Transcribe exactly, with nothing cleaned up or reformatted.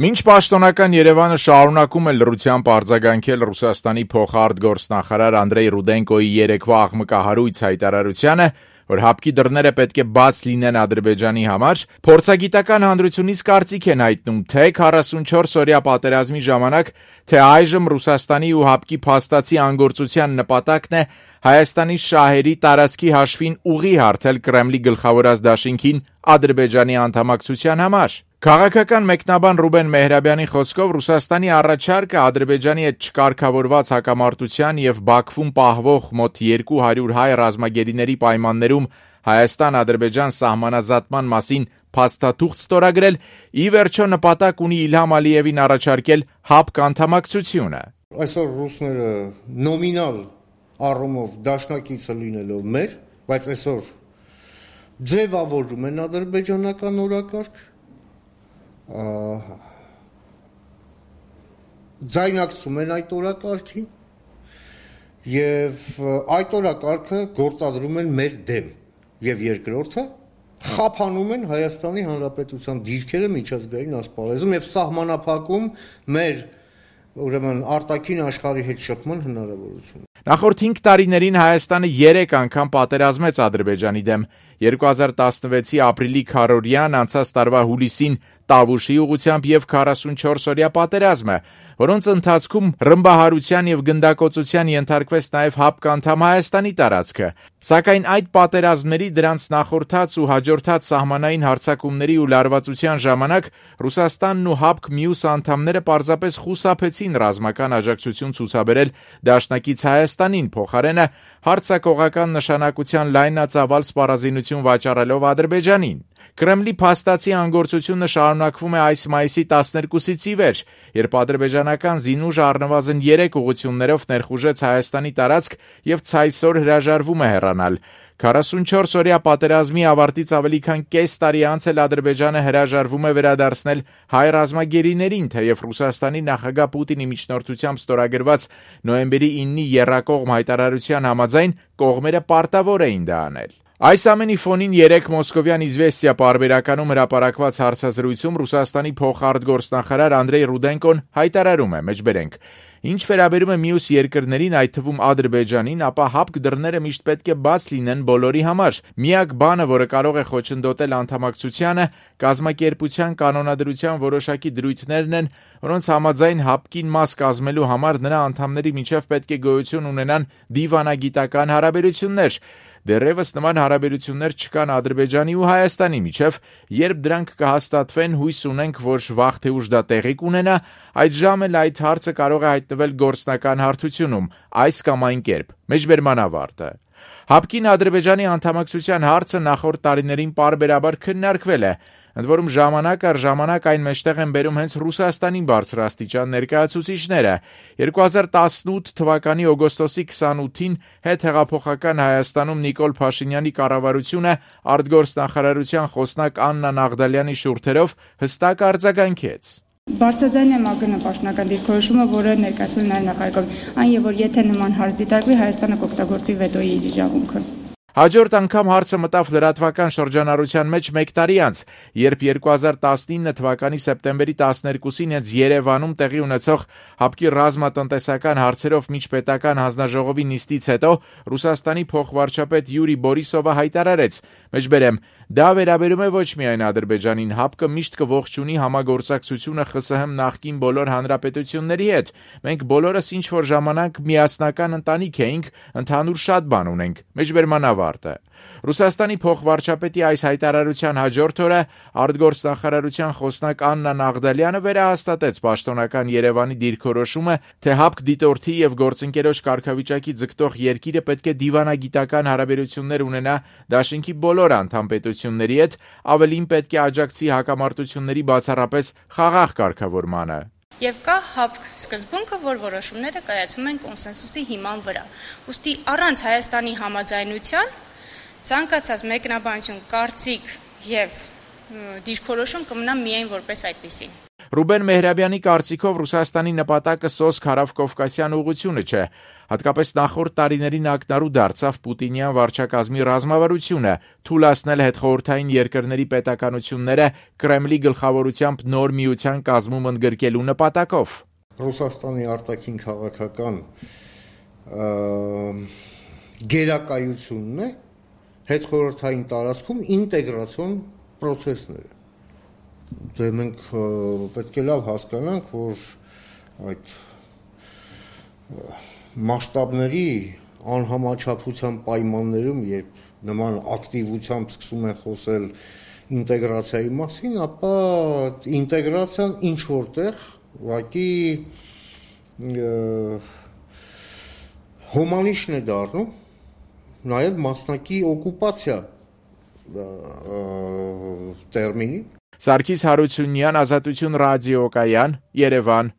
Մինչ պաշտոնական Երևանը շարունակում է լռությամբ արձագանքել Ռուսաստանի փոխարտգործնախարար Անդրեյ Ռուդենկոյի երեկվա աղմկահարույց հայտարարությանը, որ հապկի դռները պետք է բաց լինեն Ադրբեջանի համար, փորձագիտական հանրությունից կարծիք են հայտնում թե քառասունչորս-օրյա պատերազմի ժամանակ, թե այժմ Ռուսաստանի ու հապկի փաստացի անգործության նպատակն է Հայաստանի շահերի տարածքի հաշվին ուղի հարթել Կրեմլի գլխավորած դաշինքին Ադրբեջանի անդամակցության համար։ Քաղաքական մեկնաբան Ռուբեն Մեհրաբյանի խոսքով Ռուսաստանի առաջարկը Ադրբեջանի հետ չկարգավորված հակամարտության եւ Բաքվում պահվող մոտ երկու հարյուր հայ ռազմագերիների պայմաններում Հայաստան-Ադրբեջան սահմանազատման մասին փաստաթուղթ ստորագրել, ի վերջո նպատակ ունի Իլհամ Ալիևին առաջարկել հապկ անդամակցությունը։ Այսօր ռուսները նոմինալ առումով դաշնակիցը լինելով մեր, բայց այսօր ձևավորում են ադրբեջանական օրակարգ, ձայնակցում են այդ օրակարգին եւ այդ օրակարգը գործադրում են մեր դեմ եւ երկրորդը խափանում են Հայաստանի Հանրապետության դիրքերը միջազգային ասպարեզում եւ սահմանափակում մեր ուրեմն արտաքին աշխարհի հետ շփման հնարավորությունը։ Նախորդ հինգ տարիներին Հայաստանը երեք անգամ պատերազմեց Ադրբեջանի դեմ։ երկու հազար տասնվեցի ապրիլի քառօրյան, անցած տարվա հուլիսին Տավուշի ուղղությամբ եւ քառասունչորս-օրյա պատերազմը, որոնց ընթացքում ռմբահարության եւ գնդակոծության ենթարկվեց նաեւ հապկ անդամ Հայաստանի տարածքը։ Սակայն այդ պատերազմների դրանց նախորդած ու հաջորդած սահմանային հարձակումների ու լարվածության ժամանակ Ռուսաստանն ու հապկ մյուս անդամները պարզապես խուսափեցին ռազմական աջակցություն ցուցաբերել դաշնակից Հայաստանին, փոխարենը հարձակողական նշանակության լայնածավալ սպառազինություն վաճառելով Ադրբեջանին։ Կրեմլի փաստացի անգործությունը շարունակվում է այս մայիսի տասներկուսից ի վեր, երբ ադրբեջանական զինուժը առնվազն երեք ուղղություններով ներխուժեց Հայաստանի տարածք եւ ցայսօր հրաժարվում է հեռանալ։ քառասունչորս-օրյա պատերազմի ավարտից ավելի քան կես տարի անց էլ Ադրբեջանը հրաժարվում է վերադարձնել հայ ռազմագերիներին, թեև Ռուսաստանի նախագահ Պուտինի միջնորդությամբ ստորագրված նոյեմբերի իննի եռակողմ հայտարարության համաձայն կողմերը պարտավոր էին դա անել։ Այս ամենի ֆոնին երեք մոսկովյան «Իզվեստիա» պարբերականում հրապարակված հարցազրույցում Ռուսաստանի փոխարտգործնախարար Անդրեյ Ռուդենկոն հայտարարում է. մեջբերենք. Ինչ վերաբերում է մյուս երկրներին, այդ թվում Ադրբեջանին, ապա հապկ դռները միշտ պետք է բաց լինեն բոլորի համար։ Միակ բանը, որը կարող է խոչընդոտել անդամակցությանը, կազմակերպության կանոնադրության որոշակի դրույթներն են, որոնց համաձայն հապկին մաս կազմելու համար նրա անդամների միջև պետք է գոյություն ունենան դիվանագիտական հարաբերություններ։ Դեռևս նման հարաբերություններ չկան Ադրբեջանի ու Հայաստանի միջև, երբ դրանք կհաստատվեն, հույս ունենք, որ վաղ թե ուշ դա տեղի կունենա, այդ ժամ էլ այդ հարցը կարող է հայտնվել գործնական հարթությունում, այս կամ այն կերպ։ Մեջբերման ավարտը։ Հապկին Ադրբեջանի անդամակցության հարցը նախորդ տարիներին պարբերաբար քննարկվել է, ընդ որում ժամանակ առ ժամանակ այն մեջտեղ են բերում հենց Ռուսաստանի բարձրաստիճան ներկայացուցիչները։ երկու հազար տասնութ թվականի օգոստոսի քսանութին հետհեղափոխական Հայաստանում Նիկոլ Փաշինյանի կառավարությունը արտգործնախարարության խոսնակ Աննա Նաղդալյանի շուրթերով հստակ արձագանքեց։ Բարձրաձայն եմ ԱԳՆ պաշտոնական դիրքորոշումը, որը ներկայացվել է նաև նախագահում, այն եւ որ եթե նման հարց դիտարկվի, Հայաստանը կօգտագործի վետոյի իրավունքը։ Հաջորդ անգամ հարցը մտավ լրատվական շրջանառության մեջ մեկ տարի անց, երբ երկու հազար տասնինը թվականի սեպտեմբերի տասներկուսին հենց Երևանում տեղի ունեցող հապկի ռազմատնտեսական հարցերով միջպետական հանձնաժողովի նիստից հետո Ռուսաստանի փոխվարչապետ Յուրի Բորիսովը հայտարարեց. մեջբերեմ, դա վերաբերում է ոչ միայն Ադրբեջանին, հապկը միշտ կողջունի համագործակցությունը ԽՍՀՄ նախկին բոլոր հանրապետությունների հետ։ Մենք բոլորս ինչ-որ ժամանակ միասնական ընտանիք էինք, ընդհանուր շատ բան ունենք։ Մեջբերման ավարտը։ Ռուսաստանի փոխվարչապետի այս հայտարարության հաջորդ օրը արտգործնախարարության խոսնակ Աննա Նաղդալյանը վերահաստատեց պաշտոնական Երևանի դիրքորոշումը, թե հապկ դիտորդի եւ գործընկերոջ կարգավիճակի ձգտող երկիրը պետք է դիվանագիտական հարաբերություններ ունենա դաշինքի բոլոր անդամ պետությունների հետ, ավելին պետք է աջակցի հակամարտությունների բացառապես խաղաղ կարգավորմանը։ Եվ կա հապկ սկզբունքը, որ որոշումները կայացում են կոնսենսուսի հիման վրա։ Ուստի առանց Հայաստանի համաձայնության ցանկացած մեկնաբանություն, կարծիք եւ դիրքորոշում կմնա միայն որպես այդպիսի։ Ռուբեն Մեհրաբյանի կարծիքով Ռուսաստանի նպատակը սոսկ հարավկովկասյան ուղղությունը չէ, հատկապես նախորդ տարիներին ակնառու դարձավ պուտինյան վարչակազմի ռազմավարությունը, թույլատնել հետխորհրդային երկրների պետականությունները Կրեմլի գլխավորությամբ նոր միության կազմում ընդգրկելու նպատակով։ Ռուսաստանի արտաքին քաղաքական գերակայությունն է հետխորհրդային տարածքում ինտեգրացիոն process-ները։ Դե մենք պետք է լավ հասկանանք, որ այդ մասշտաբների անհամաչափության պայմաններում, երբ նման ակտիվությամբ սկսում են խոսել ինտեգրացիայի մասին, ապա ինտեգրացիան ինչ որտեղ ուղղակի հոմանիշն է դառնում, նաև մասնակի օկուպացիա տերմինին։ Սարգիս Հարությունյան, Ազատություն ռադիոկայան, Երևան։